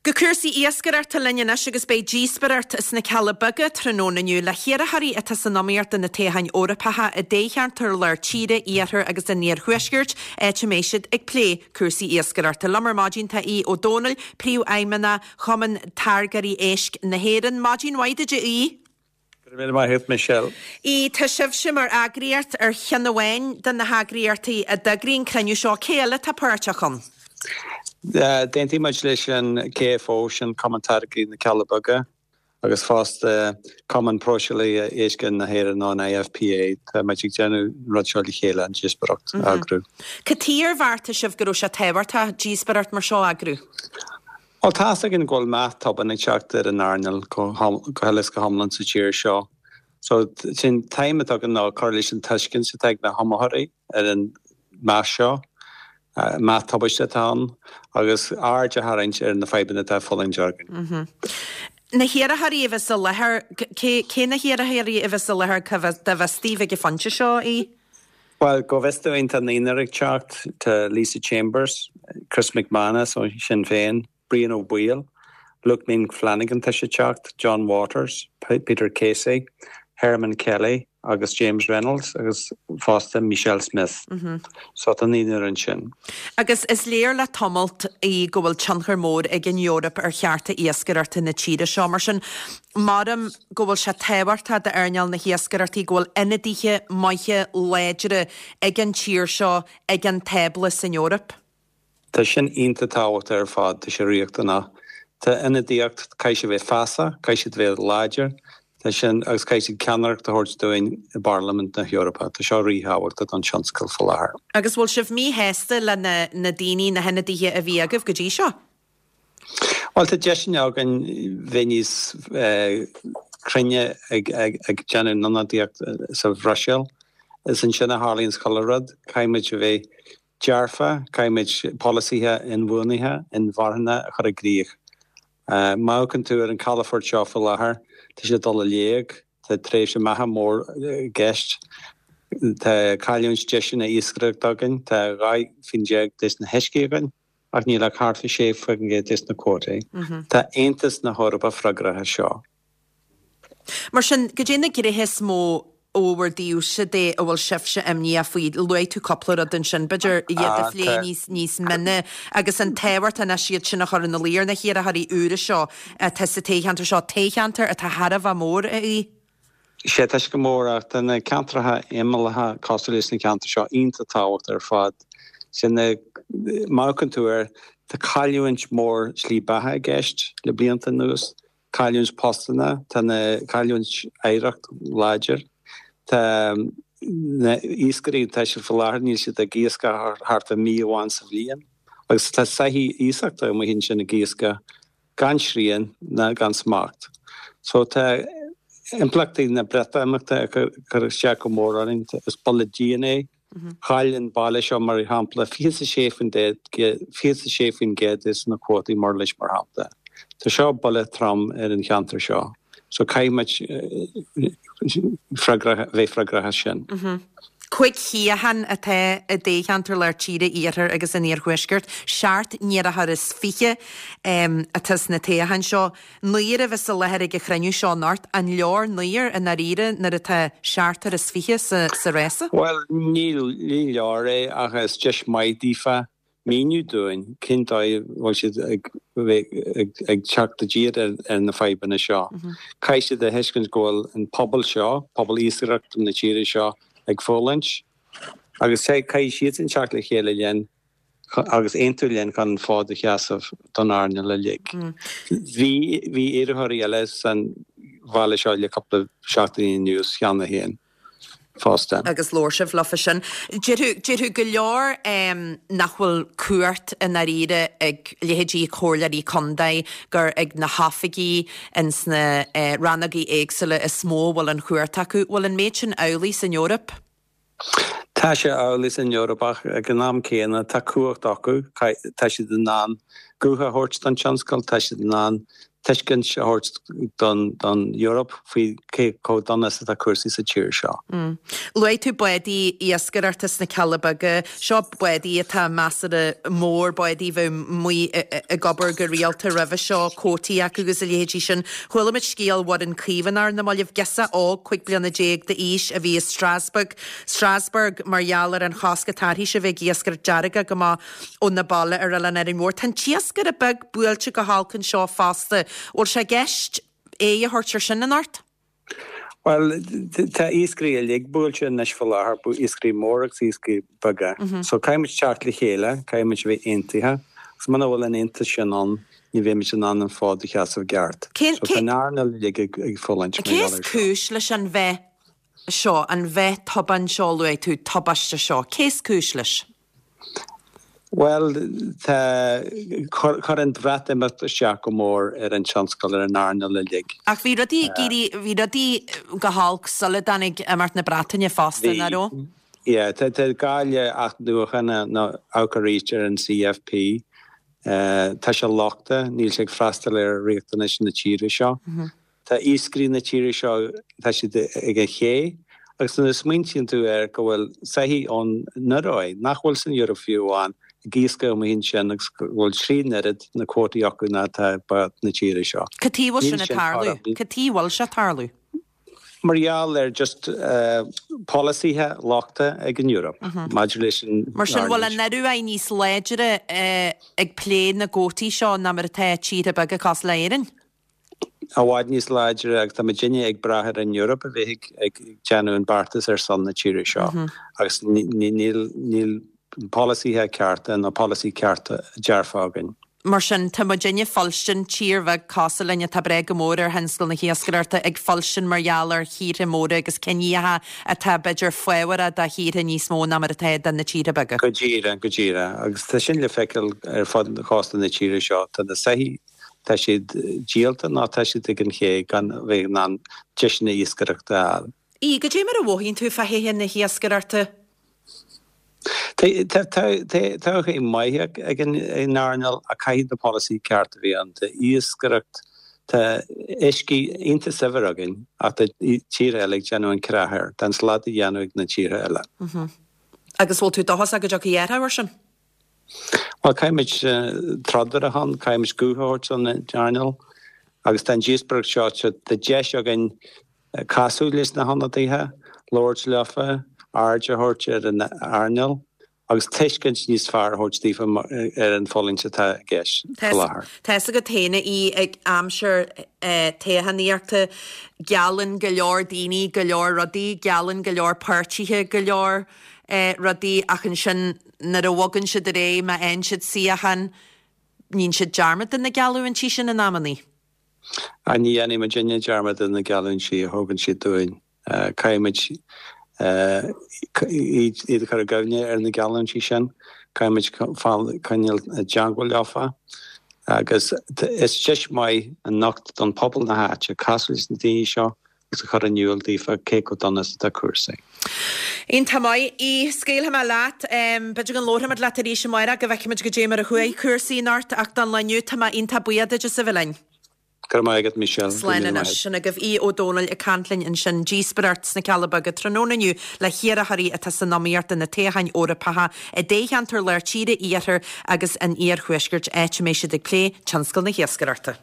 Go cúrsaí iascaireachta linn anois agus beidh díospóireacht sna Cealla Beaga tráthnóna inniu le hiarrthóirí atá san iomaíocht do na toghcháin Eorpacha i dtoghcheantair Lár Tíre, Iarthair agus an Iarthuaiscirt, áit a mbeidh siad ag plé cúrsaí iascaireachta. Liom ar maidin tá Aodh Ó Domhnaill, Príomhfheidhmeannach Chumann Táirgeoirí Éisc na hÉireann. Maidin mhaith duit a Aoidh. Go raibh míle maith agat, Michelle. Aodh, tá sibhse mar eagraíocht ar cheann amháin de na heagraíochtaí a d'eagraigh an cruinniú seo. Cé eile atá páirteach ann? D'aontaigh muid leis an KFO, sin Cumann Táirgeoirí na Cealla Beaga, agus fosta Cumann Próiseálaithe Éisc na hÉireann nó an IFPA. Tá muid ag déanamh an rud seo le chéile, an díospóireacht a eagrú. Cad chuige ar bheartaigh sibh go raibh sé tábhachtach díospóireacht mar seo a eagrú? Bhuel, tá's againn go bhfuil meath tobann ag teacht ar an earnáil go huile is go hiomlán sa tír seo. So, sin an t-aidhm atá againn ná cur leis an tuiscint atá ag na hiomaitheoirí ar an meath seo, meath tubaiste atá ann, agus aird a tharraingt ar na fadhbanna atá á bhfulaingt againn. Na hiarrthóirí a bheas i láthair, cé na hiarrthóirí a bheas i láthair cá bhfios daoibh ag an phointe seo, a Aoidh? Bhuel, go bhfios dúinn, tá naonúr ag teacht, tá Lisa Chambers, Chris MacManus ó Shinn Féin, Brian Ó Baoill, Luke Ming Flanagan tá sé ag teacht, John Waters, Peter Casey, Hermann Kelly agus James Reynolds agus fosta Michelle Smith. So tá naonúr ansin. Agus is léir le tamalt í go bhfuil tionchar mór ag an Eoraip ar chearta iascaireachta na tíre seo. Mar sin, Maram go bhfuil sé tábhachtach d'earnáil na hiascaireachta go bhfuil ionadaithe maithe láidre ag an tír seo ag an tábla san Eoraip. Tá sin iontach tábhachtach ar fad, tá sé riachtanach. Tá ionadaíocht, caithfidh siad bheith feasach, caithfidh siad bheith láidir, tá sin, agus caithfidh siad ceannaireacht a thabhairt dúinn i bParlaimint na hEorpa. Tá seo ríthábhachtach don tionscal faoi láthair. Agus bhfuil sibh míshásta le na daoine, na hionadaithe a bhí agaibh go dtí seo? Bhuel, tá deiseanna againn bheith níos cruinne ag déanamh ionadaíocht sa Bhruiséil. Is ansin a tharlaíonns chuile rud. Caithfidh muid a bheith dearfa, caithfidh muid polasaithe inbhuanaithe, inmharthana a chur i gcrích. Má amharcann tú ar an calafort seo faoi láthair, tá sé ag dul i léig, tá tréimhse meatha mór i gceist, tá cailliúint deiseanna iascaireachta againn, tá 12 faoin des na huiscí againn. Ach níl ach thart fá 6% des na cuótaí. Tá Aontas na hEorpa freagrach as seo. Mar sin, goidé na gnéithe is mó ó bhur dtaobhse de a bhfuil sibhse imníoch faoi? Luaigh tú cúpla rud ansin, b'fhéidir iad a phlé níos níos mine agus an tábhacht anois iad sin a chur ina luí ar na hiarrthóirí úra seo atá sa toghcheantar seo, toghcheantar atá thar a bheith mór, a Aoidh. Sea, tá sé go mór, ach tá na ceantracha imeallacha cosúil leis na ceantair seo iontach tábhachtach ar fad. Sin na, má amharcann tú air, tá cailliúint mór slí beatha i gceist le blianta anuas, cailliúint postanna, tá na cailliúint oidhreacht láidir, tá na iascairí, tá siad faoi láthair, níl siad ag iascach thart ar mí amháin sa bhliain agus tá soithí iasachta amuigh ansin ag iascach. gan srian ná gan smacht. So tá impleachtaí na Breatimeachta ag cur isteach go mór orainn. Is buille dian é. Chaill an baile seo, mar shampla, 26% des na cuótaí murlais, mar shampla. Tá seo buille trom ar an cheantar seo. So caithfidh muid bheith freagrach as sin. 5 shuíochán atá i dtoghcheantar Lár Tíre, Iarthair agus an Iarthuaiscirt. Seacht n-iarrthóir is fiche atá sna toghcháin seo. Naonúr a bheas i láthair ag an chruinniú seo anocht. An leor naonúr i ndáiríre nuair atá seachtar is fiche sa rása? Bhuel, ní leor é ach is deis maith daofa míniú dúinn cén dóigh a bhfuil siad ag ag teacht i dtír ar na fadhbanna seo. Caithfidh siad a thuiscint go bhfuil an pobal seo, pobal iascaireachta na tíre seo, ag fulaingt agus caithfidh siadsan teacht le chéile linn agus aontú linn chun an fód a sheasamh don earnáil uilig. Bhí bhí iarrthóirí eile san bhaile seo le cúpla seachtainí anuas cheana féin. fosta. Agus labhair sibh leofa sin. Déarfadh, déarfadh go leor nach bhfuil cumhacht i ndáiríre ag leithéidí comhairleoirí contae, gur ag na hoifigigh ins na rannógaí éagsúla is mó a bhfuil an chumhacht acu. Bhfuil an méid sin amhlaidh san Eoraip? Tá sé amhlaidh san Eoraip ach ag an am céanna tá cumhacht acu, tá siad in ann guth a thabhairt don tionscal, tá siad in ann. tuiscint a thabhairt don Eoraip faoi cé chomh dona is atá cúrsaí sa tír seo. Luaigh tú bádaí iascaireachta sna Cealla Beaga. Seo bádaí atá measartha mór, bádaí a bheadh amuigh ag obair go rialta roimhe seo, cuótaí acu agus a leithéidí sin. Chuala muid scéal Mhuireann Caomhánach ar na mallaibh, girseach óg, 15 bliana d'aois, a bhí i Strasbourg, Strasbourg, mar gheall ar an chosc atá uirthise a bheith ag iascaireacht dearg amach óna baile ar Oileán Árainn Mhór. Tá an t-iascaire beag buailte go holc anseo fosta. Bhfuil sé i gceist aghaidh a thabhairt ar sin anocht? Bhuel, tá iascairí uilig buailte anois faoi láthair, iascairí móra agus iascairí beaga. So caithfidh muid teacht le chéile, caithfidh muid a bheith aontaithe. Agus muna bhfuil an aontas sin ann, ní bheidh muid in ann an fód a sheasamh i gceart. So tá an earnáil uilig ag fulaingt mar gheall air seo. Cé is cúis leis an mheath seo, an mheath tobann seo, luaigh tú, tubaiste seo? Cé is cúis leis? Bhuel, tá, chuir an Bhreatimeacht isteach go mór ar an tionscal, ar an earnáil uilig. Ach bhí rudaí ag éirí, bhí rudaí go holc sula dtáinig imeacht na Breataine fosta, nach raibh? Bhí, yeah. Tá gá le athnuachan nó amharc arís ar an CFP. Tá sé lochtach, níl sé ag freastal ar riachtanais na tíre seo. Tá iascairí na tíre seo, tá siad ag an ché agus nuair a smaointíonn tú air go bhfuil soithí ón Ioruaidh, nach bhfuil san Eoraip fiú amháin, ag iascach amuigh ansin agus go bhfuil trí n-oiread na cuótaí acu ná atá ag báid na tíre seo. Cad chuige a bhfuil sin ag tarlú? Cad chuige a bhfuil sé ag tarlú? Mar gheall ar just polasaithe lochta ag an Eoraip maidir leis an Mar sin, bhfuil an Ioruaidh níos láidre ag plé na gcuótaí seo ná mar atá tíortha beaga cosúil le Éirinn? i bhfad níos láidre agus tá muidinne ag brath ar an Eoraip a bheith ag déanamh an beartas ar son na tíre seo agus níl níl polasaithe cearta nó polasaí cearta dearfa againn. Mar sin, tá muidinne ag fuilstin, tír bheag cosúil linn atá ag brath go mór ar thionscal na hiascaireachta, ag fuilstin mar gheall ar thíortha móra agus ciníocha atá b'fhéidir fábharach do thíortha níos mó ná mar atá do na tíortha beaga. Go díreach, go díreach. Agus tá sin le feiceáil ar fud chósta na tíre seo. Tá na soithí Tá siad díolta nó tá siad ag an ché gan a bheith in ann deiseanna iascaireachta a fháil. Ii, Goidé mar a mhothaíonn tú fá thodhchaí na hiascaireachta? Tá todhchaí maith ag an earnáil ach caithfidh na polasaí ceart a bheith ann. Tá iascaireacht, tá uiscí iontach saibhir againn ach tá tíortha eile ag déanamh an creach air. Tá an slad á dhéanamh ag na tíortha eile. Agus bhfuil tú dóchasach go dtiocfaidh athrú air sin? Bhuel, caithfimid troid ar a shon, caithfimid guth a thabhairt don earnáil agus tá an díospóireacht seo, tá deis againn casadh leis na hionadaithe, labhairt leofa, aird a thabhairt ar an earnáil agus tuiscint níos fearr a thabhairt daofa ar an bhfulaingt atá i gceist faoi láthair. Tá fhios agat féin í ag aimsir toghchánaíochta, geallann go leor daoine go leor rudaí, geallann go leor páirtithe go leor rudaí ach ansin nuair a bhogann siad ar aghaidh, má fhaigheann siad suíochán, níonn siad dearmad de na geallúintí sin in amannaí. Á, ní dhéanfaidh muidinne dearmad de na geallúintí a thugann siad dúinn. Caithfidh muid iad a chur i gcuimhne ar na geallúintí sin. Caithfidh muid coinneáil i dteangmháil leofa. Agus is deis maith anocht don phobal na háite casadh leis na daoine seo agus a chur in iúl daofa cé chomh dona is atá cúrsaí. Iontach maith. Aodh, scaoilfidh mé leat. B'fhéidir go labharfaimid leat arís amárach go bhfeicfimid goidé mar a chuaigh cúrsaí anocht ach don lá inniu tá mé iontach buíoch duit as a bheith linn. Go raibh maith agat Michelle. Go raibh Slán míle maith anois. Sin agaibh Aodh Ó Domhnaill ag caint linn ansin. Díospóireacht sna Cealla Beaga tráthnóna inniu le hiarrthóirí atá san iomaíocht do na toghcháin Eorpacha i dtoghcheantar Lár Tíre, Iarthar agus an Iarthuaiscirt áit a mbeidh siad ag plé tionscal na hiascaireachta.